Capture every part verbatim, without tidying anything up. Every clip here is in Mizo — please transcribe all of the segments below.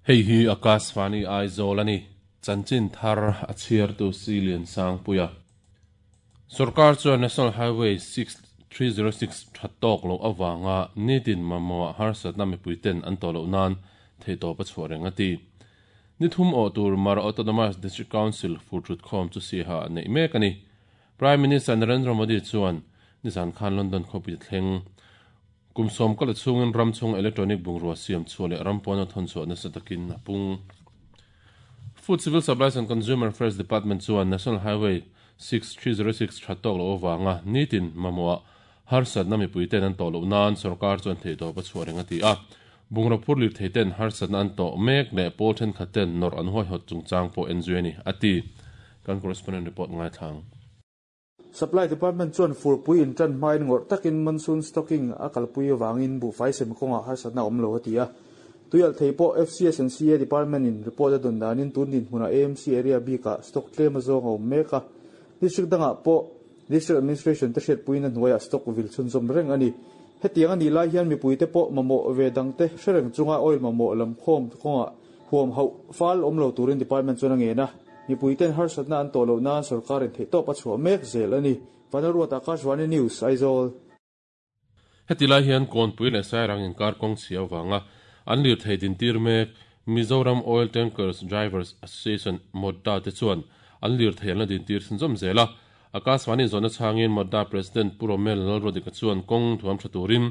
Hei hi Akashvani Aizawl ani chanchin thar a chhiar tu Silian Sangpuia Sarkar chuan National Highway six three zero six thatok lo awanga nitin mamawh harsatna mipuiten an tawh loh nan theitawp a chhuah reng a ti. Nithum aw tur Mara Autonomous District Council furthut khawm chu siha nei mek ani. Prime Minister Narendra Modi chuan nizan khan London khawpui thleng kumsawm kal chungin ramchung electronic bungrua siam chhuah leh rampawna thawn chhuah nasa takin a pung. Food Civil Supplies and Consumer Affairs Department chuan National Highway six three zero six thatok lo awanga nitin mamawh harsatna mipuiten an tawh loh nan sarkar chuan theitawp a chhuah reng a ti a. Bungrua phur lir theiten harsatna an tawh mek leh pawl thenkhat ten nor an huai hawt chungchang pawh en zui ani a ti. Kan correspondent report ngai thlang. Supply Department chuan furpui in tan hmain ngawrh takin monsoon stocking a kalpui awangin buhfai sem kawnga harsatna awm lo a ti a. Tuial thei pawh F C S and C A Department in report a dawn danin tun din hmunah A M C area bikah stock tlem a zawng a awm mek a. District dangah pawh District Administration te hriatpuiin a hnuaiah stock vil chhunzawm reng ani. Hetiang ani lai hian mipui te pawh mamawh ve dang te hrereng chunga oil mamawh lam khawm kawnga huam hauh fal awm lo turin department chuan a ngen a. Mipui ten harsatna an tawh loh nan sarkarin theihtawp a chhuah mek zel ani. Vanlalruat Akashvani News Aizawl. Heti lai hian kawnpui leh sairang inkar kawng chhia awanga an lir thei din tir mek Mizoram Oil Tankers Drivers Association Modda te chuan an lir thei an la din tir chhunzawm zel a. Akashvani zawhna chhangin Modda President Pu Romel Lalrodika chuan kawng thuam tha turin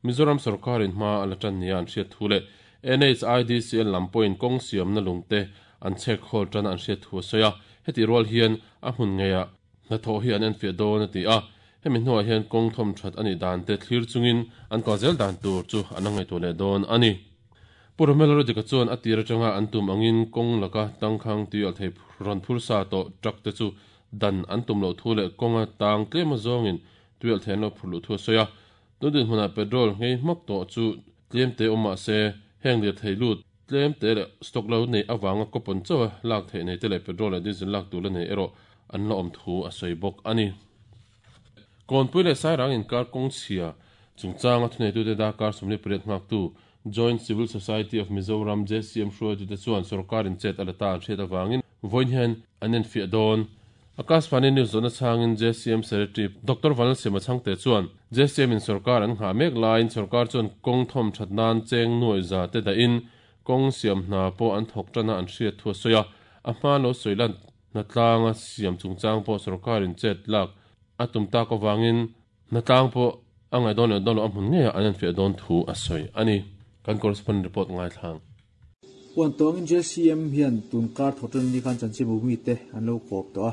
Mizoram sarkarin hma a la tan nia an hriat thu leh N H I D C L lam pawhin kawng siamna lungte an chhek khawl tan an hriat thu a sawi a. Heti rual hian a hmun ngeia hnathawh hi an en fiah dawn a ti a. Hemi hnuah hian kawng thawm that ani dan te thlir chungin an kal zel dan tur chu an ngaihtuah leh dawn ani. Pu Romel Lalrodika chuan a tir atanga an tum angin kawng laka tangkhang tuial thei rawn phur sa tawh truck te chu dan an tum lo thu leh kawnga tang tlem a zawngin tuial thei an lo phur luh thu a sawi a. Tundin hmunah petrol ngei hmak tawh chu tlem te awm mah se heng lir thei lut tlem te leh stock lo nei awanga kawpawn chawa lak theih nei te leh petrol leh diesel lak tur la nei erawh an la awm thu a sawi bawk ani. Kawnpui leh sairang inkar kawng chhia chungchanga thuneitute dakar sawmli pariat nghaktu Joint Civil Society of Mizoram J C M hruaitute chuan sarkarin chet a la ta an hriat awangin vawiin hian an en fiah dawn. Akashvani News zawhna chhangin J C M Secretary Doctor Vanlalsema Chhangte chuan J C M in sarkar an nghah mek laiin sarkar chuan kawng thawm that nan cheng nuai za te dahin kawng siam hna pawh an thawk tana an hriat thu a sawi a. A hma lo sawi lan hnatlanga siam chungchang pawh sarkarin chet lak a tum tak awangin hnatlang pawh a ngai dawn leh dawn lo a hmun ngeia an en fiah dawn thu a sawi ani. Kan correspondent report ngai thlang. Huan tawngin J C M hian tun kar thawtan ni khan chanchin mi te an lo kawp tawh a.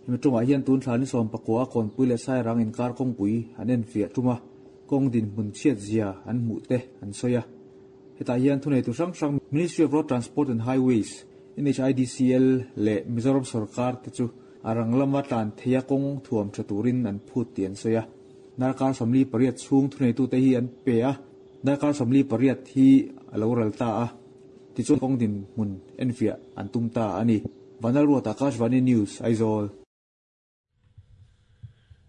Hemi tawngah hian tun thla ni sawm pakua kawnpui leh sairang inkar kawngpui an en fiah tum a. Kawng din hmun chhiat zia an hmuh te an sawi a. Hetah hian thunei tu hrang hrang Ministry of Road Transport and Highways N H I D C L leh Mizoram sarkar te chu a rang lama tlan theia kawng thuam tha turin an phut ti an sawi a. Darkar sawmli pariat chhung thunei tu te hi an pe a. Darkar sawmli pariat hi a lo ral ta a. Tichuan kawng din hmun en fiah an tum ta ani. Vanlalruat Akashvani News Aizawl.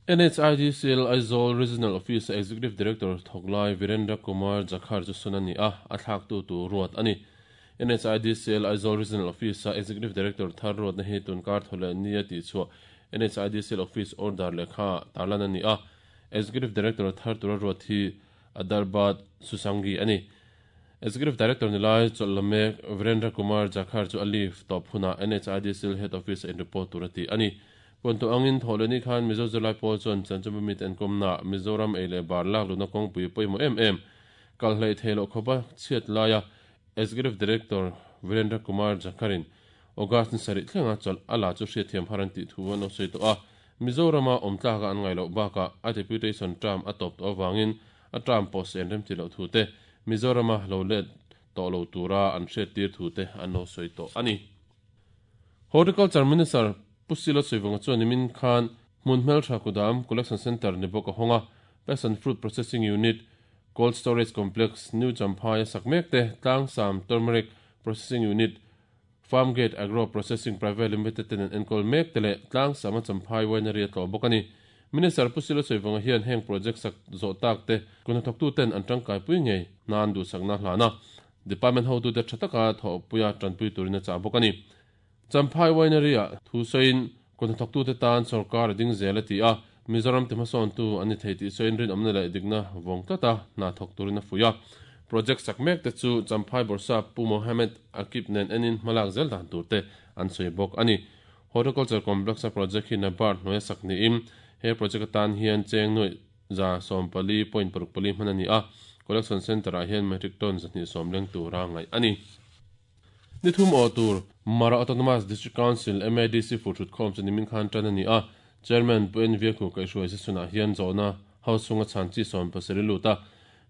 N H I D C L Aizawl Regional Office Executive Director Thoklai Virendra Kumar Jakhar chu sunani a a thlak tu tu ruat ani. N H I D C L Aizawl Regional Office Executive Director thar ruat na hi tunkar thole nia ti chu N H I D C L Office order lekha tarlan ani a. Executive Director thar tura ruat hi Adarbat Susangi ani. Executive Director nilai cholame Virendra Kumar Jakhar chu alif top huna N H I D C L Head Office in report turati ani. Ponto angin tholeni khan Mizo Zulai pawl chuan chanchumi mit en komna Mizoram eile bar lak luna kawngpui pawimawh em em kal hlei theilo khopa chhiat laia Executive Director Virendra Kumar Jakharin August ni sarih thlenga chawlh a la chu hriatthiam har an tih thu an lo sawi tawh a. Mizorama awm tlaka an ngai loh bakah a deputation term a tawp tawh awangin a term pawh se an rem ti loh thu te Mizorama lo let tawh lo tura an hriat tir thu te an lo sawi tawh ani. Horticulture Minister Pusilo Soivanga chuan nimin khan hmun hmeltha kudam Collection Center ni bawk a hawnga Passion Fruit Processing Unit Cold Storage Complex New Champhai a sak mek te Tlangsam Turmeric Processing Unit Farmgate Agro Processing Private Limited ten an enkawl mek te leh Tlangsam a Champhai Winery a tlawh bawk ani. Minister Pusilo Soivanga hian heng project sak zawh tak te kuna thawktu ten an tangkai pui ngei nan duhsakna hlana. Department ho tu te thataka tho puya tranpui turina cha bokani Champhai Winery a thusoin kon thok tu te tan sarkar ding zel ti a Mizoram te mason tu ani theiti soin rin omna la digna wong tata na thok turina fuya project sakmek te chu Champhai Borsa Pu Mohammed Akib nen enin malak zel dan tur te an soi bok ani Horticulture Complex project hi NABARD hnuaia sak niin he project atan hian cheng nuai za sawmpali point paruk pali hman ani a collection center ah hian metric ton zahnih sawm leng tura ngaih ani nithum aw tur Mara Autonomous District Council M A D C fur thut khawm chu nimin khan tan ani a chairman Pu N V Khu kaihhruai se sunah hian zawhna house chunga chhan chi sawm pasarih luta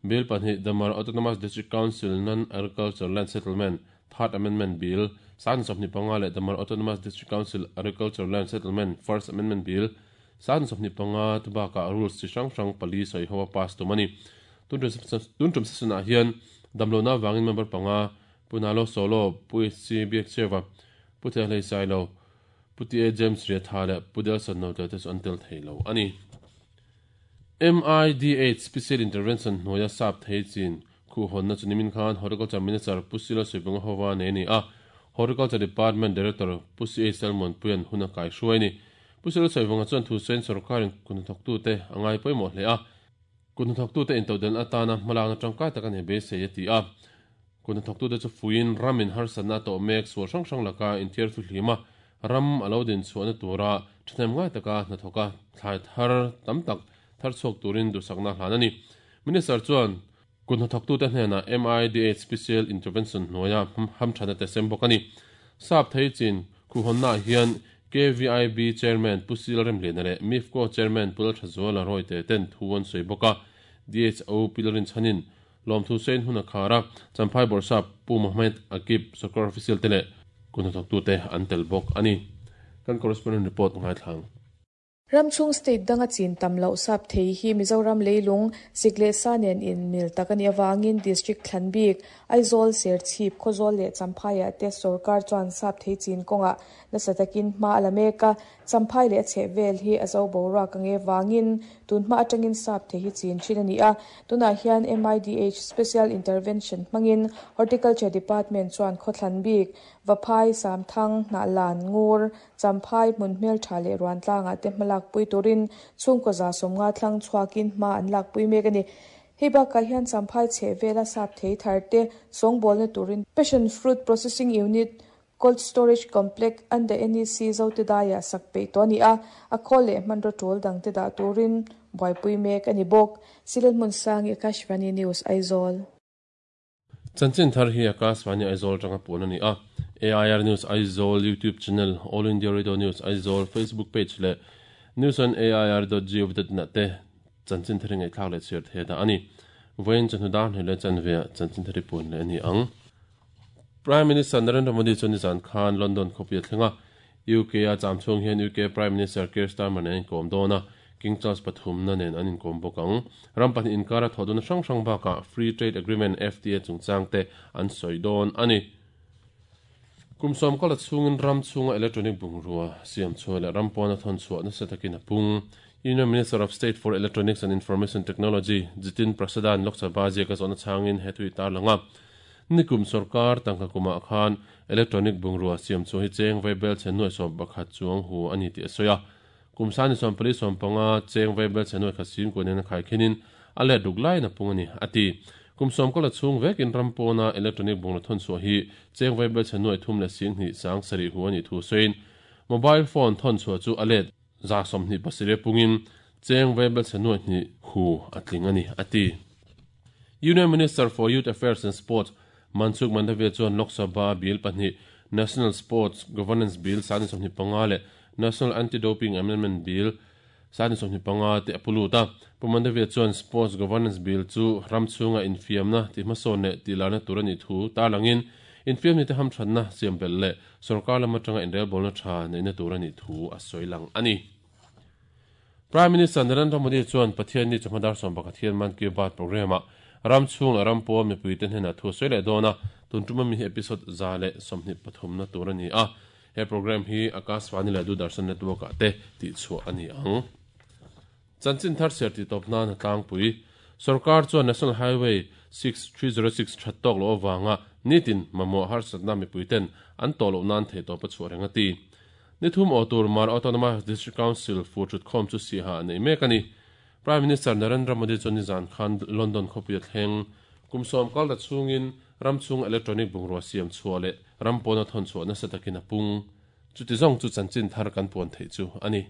bill pahnih the Mara Autonomous District Council Non-Agriculture Land Settlement Third Amendment Bill san sawmhnih panga leh the Mara Autonomous District Council Agriculture Land Settlement First Amendment Bill san sawmhnih panga tubaka rules chi hrang hrang pali sawi ho a pass tum ani tun tum sesion-ah hian damlona wangin member panga Punalo Solo Pu H C Biak Chewa Pu Thehlei Sailo Pu T A James Riatha leh Pu Delson Note te chu an tel theilo ani M I D H Special Intervention hnuaia sap thei chin khu hawnna chu nimin khan Horticulture Minister Pu Sila Suibunga howa nei ani a Horticulture Department Director Pu C A Salmon Puian huna kai hruai ni Pu Sila Suibunga chuan thu sawiin sarkarin kun thawk tu te angai pawimawh hle a kun thawk tu te intodelh atana hmalakna tangkai tak ani beisei a ti a kun thawk tu te chu fuiin ramin harsatna tawh mek sual hrang hrang laka inthiar thu hlima ram alo din chhuahna tura thahnem ngai taka hnathawka thlai thar tam tak thar chhuak turin duhsakna hlan ani Minister chuan kun thawk tu te hnena M I D H Special Intervention hnuaia hamthana te sem bawk ani sap thei chin khu hawnna hian K V I B Chairman Pu Sil Remlian leh MIFCO Chairman Pu Lalthazuala Roy te ten thu an sawi bawk a D H O Pilarin chanin lawm thu sawiin hun a khar a Champhai Borsa Pu Mohammed Akib sarkar official te leh kun thawk tu te an tel bawk ani kan correspondent report ngai thlang Ramchung state danga chin tam lo sap thei hi Mizoram leilung sikle sa nen in mil takani awangin district thlanbik Aizawl Serchhip Khawzawl leh Champhai te sarkar chuan sap thei chin kawnga nasa takin hma alameka Champhai leh chhe vel hi azo bora kange wangin tun hma atangin sap thei hi chin thin ani a tunah hian M I D H Special Intervention hmangin Horticulture Department chuan khawthlanbik Vaphai Samthang Hnahlan Ngur Champhai hmun hmel tha leh ruan tlangah te hmalak pui turin chhungkaw za sawmnga thlang chhuakin hma an lak pui mek ani hei bakah hian Champhai chhe vela sap thei thar te sawngbawlna turin Passion Fruit Processing Unit Cold Storage Complex under N E C Zote Daya sak pei to ani a a khawl leh hmanraw tul dang te dah turin buaipui mek ani bawk Silal hmun sang Akashvani News Aizawl Chanchin thar hi Akashvani Aizawl tanga pun ani a A I R News Aizawl YouTube channel All India Radio News Aizawl Facebook page le news on A I R dot gov dot in te chanchin thar ngai thlak leh chhiar the da ani vain chanhu dan hele chanve chanchin thari pun le ani ang Prime Minister Narendra Modi chu ni zan khan London khawpui thlenga U K a chamchhung hian U K Prime Minister Keir Starmer nen kawm dawna King Charles pathum na nen an inkawm bawk ang ram pahnih inkara thawhdun hrang hrang bakah Free Trade Agreement F T A chungchang te an sawi dawn ani Kumsawm kala chungin ram chunga electronic bungrua siam chhuah leh ram pawna thawn chhuah nasa takin a pung Union Minister of State for Electronics and Information Technology Jitin Prasadan Lok Sabha ziaka zawhna changin hetui tar langa nikum sarkar tangka kuma khan electronic bungrua siam chu hi cheng vaibel chennuai sawm pakhat chuang hu ani ti a sawi a kumsani sawm pali sawm panga cheng vaibel chennuai kha sim kunin a khai khinin a let ruk lai na pung ani ati kumsawm kala chhung vekin ram pawna electronic bungrua thawn chhuah hi cheng vaibel chennuai thum leh sing hnih sang sarih hu ani thu sawiin mobile phone thawn chhuah chu a let za sawmhnih pasarih pungin cheng vaibel chennuai hnih hu a tling ani ati Union Minister for Youth Affairs and Sports Mansukh Mandaviya chuan Lok Sabha Bill pahnih National Sports Governance Bill sani sawmhnih panga leh National Anti-Doping Amendment Bill sani sawmhnih panga te a puluta Pu Mandaviya chuan Sports Governance Bill chu ram chhunga infiamna ti hmasawn leh tilarna tur ani thu tarlangin infiamni te hamthanna siam bel leh sarkar lam atanga inrelbawlna tha neihna tur ani thu a sawi lang ani Prime Minister Narendra Modi chuan Pathian ni chawhmadar sawm pakhat hian Man Ki Baat program-ah ram chhung leh ram pawh mipui te hnenah thu sawi leh dawn a tun tuma mi hi episode za leh sawmhnih pathum na tur ani a he program hi Akashvani leh Doordarshan network ah te tih chhuah ani ang chanchin thar ser ti tawp nan a tlangpui sarkar chuan National Highway six three zero six that tawk lo awanga Nitin mamo har satna mi puiten an tolo nan the to pa chu renga ti. Nithum otur Mar Autonomous District Council fu chut khom chu si ha nei mek ani. Prime Minister Narendra Modi chu ni zan khan London khopui thleng kumsom kal da chungin ramchung electronic bungrua siam chuale rampona thon chu na satakin apung. Chuti zong chu chanchin thar kan puan thei chu ani.